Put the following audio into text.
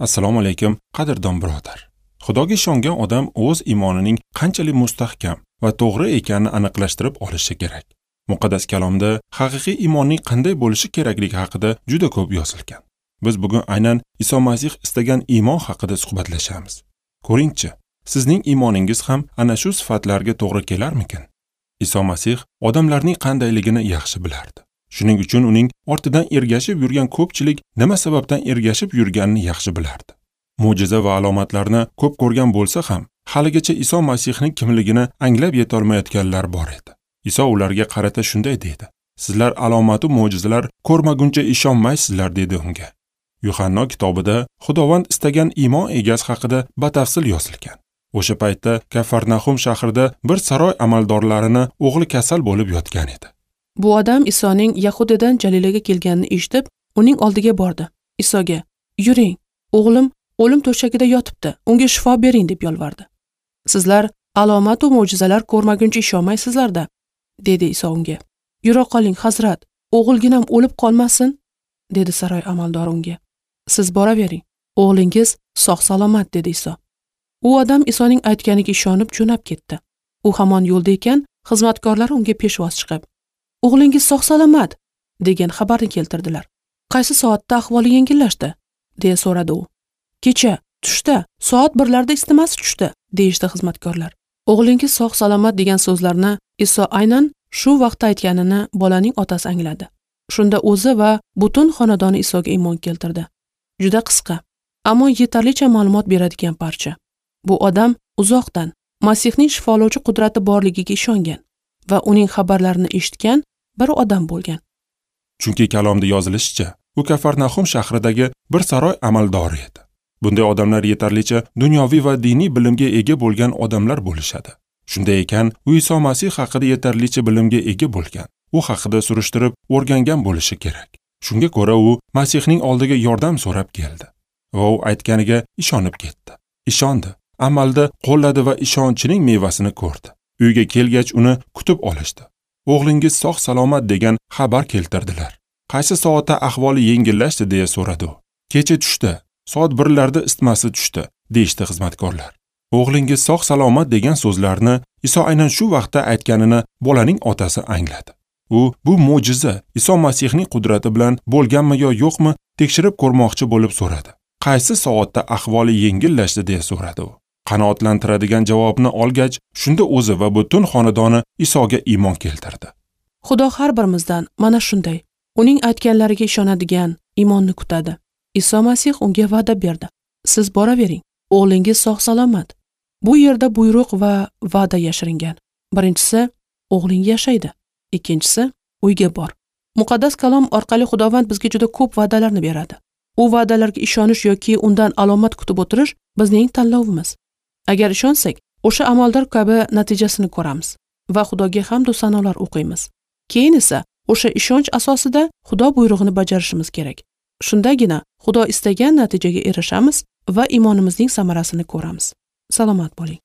Assalomu alaykum, qadrdon birodar. Xudoga ishongan odam o'z iymonining qanchalik mustahkam va to'g'ri ekanini aniqlashtirib olishi kerak. Muqaddas kalomda haqiqiy iymonning qanday bo'lishi kerakligi haqida juda ko'p yozilgan. Biz bugun aynan Iso Masih istagan iymon haqida suhbatlashamiz. Ko'ringchi, sizning iymoningiz ham ana shu sifatlarga to'g'ri kelarmikin? Iso Masih odamlarning qandayligini yaxshi bilardi. Shuning uchun uning ortidan ergashib yurgan ko'pchilik nima sababdan ergashib yurganini yaxshi bilardi. Mo'jiza va alomatlarni ko'p ko'rgan bo'lsa ham, haligacha Iso Masihning kimligini anglab yetolmayotganlar bor edi. Iso ularga qarata shunday dedi: "Sizlar alomatu mo'jizalar ko'rmaguncha ishonmaysizlar" dedi unga. Yuhanno kitobida Xudovand istagan iymon egasi haqida batafsil yozilgan. O'sha paytda Kafarnahum shahrida bir saroy amaldorlarini o'g'li kasal bo'lib yotgan edi. Bu odam Isoning Yahudiyadan Jalilaga kelganini eshitib, uning oldiga bordi. Isoga: "Yuring, o'g'lim o'lim to'shagida yotibdi, unga shifo bering" deb yolvardi. "Sizlar alomat va mo'jizalar ko'rmaguncha ishonmaysizlar-da" dedi Iso unga. "Yura qoling, hazrat, o'g'ilginam o'lib qolmasin" dedi saroy amaldori unga. "Siz boravering, o'g'lingiz sog' salomat" dedi Iso. U odam Isoning aytganiga ishonib jo'nab ketdi. U hamon yo'lda ekan, xizmatkorlari unga peshvoz chiqib, "O'g'lingiz sog' salomat" degan xabarni keltirdilar. "Qaysi soatda ahvoli yengillashdi?" deya so'radi u. "Kecha tushda soat 1larda isitmasi tushdi" deyishdi xizmatkorlar. O'g'lingiz sog' salomat degan so'zlarni Iso aynan shu vaqtda aytganini bolaning otasi angladi. Shunda o'zi va butun xonadoni Isoga iymon keltirdi. Juda qisqa, ammo yetarlicha ma'lumot beradigan parcha. Bu odam uzoqdan Masihning shifolovchi qudrati borligiga ishongan va uning xabarlarini eshitgan bir odam bo'lgan. Chunki kalomda yozilishicha, u Kafarnahum shahridagi bir saroy amaldori edi. Bunday odamlar yetarlicha dunyoviy va diniy bilimga ega bo'lgan odamlar bo'lishadi. Shunday ekan, u Iso Masih haqida yetarlicha bilimga ega bo'lgan, u haqida surishtirib o'rgangan bo'lishi kerak. Shunga ko'ra u Masihning oldiga yordam so'rab keldi va u aytganiga ishonib ketdi. Ishondi, amalda qo'lladi va ishonchining mevasini ko'rdi. Uyga kelgach uni kutib olishdi. O'g'lingiz sog' salomat degan xabar keltirdilar. Qaysi soatda ahvoli yengillashdi deya so'radi u. Kecha tushda, soat 1larda isitmasi tushdi, deyishdi xizmatkorlar. O'g'lingiz sog' salomat degan so'zlarni Iso aynan shu vaqtda aytganini bolaning otasi angladi. U bu mo'jiza Iso Masihning qudrati bilan bo'lganmi yo yo'qmi tekshirib ko'rmoqchi bo'lib so'radi. Qaysi soatda ahvoli yengillashdi deya so'radi u. Qanoatlantiradigan javobni olgach, shunda o'zi va butun xonadoni Isoga iymon keltirdi. Xudo har birimizdan mana shunday, uning aytganlariga ishonadigan iymonni kutadi. Iso Masih unga va'da berdi. Siz boravering, o'g'lingiz sog' salomat. Bu yerda buyruq va va'da yashiringan. Birinchisi, o'g'ling yashaydi. Ikkinchisi, uyga bor. Muqaddas kalom orqali Xudovand bizga juda ko'p va'dalarni beradi. U va'dalarga ishonish yoki undan alomat kutib o'tirish bizning tanlovimiz. Agar ishonsak, o'sha amaldor kabi natijasini ko'ramiz va Xudoga hamd va sanolar o'qiymiz. Keyin esa o'sha ishonch asosida Xudo buyrug'ini bajarishimiz kerak. Shundagina Xudo istagan natijaga erishamiz va iymonimizning samarasini ko'ramiz. Salomat bo'ling.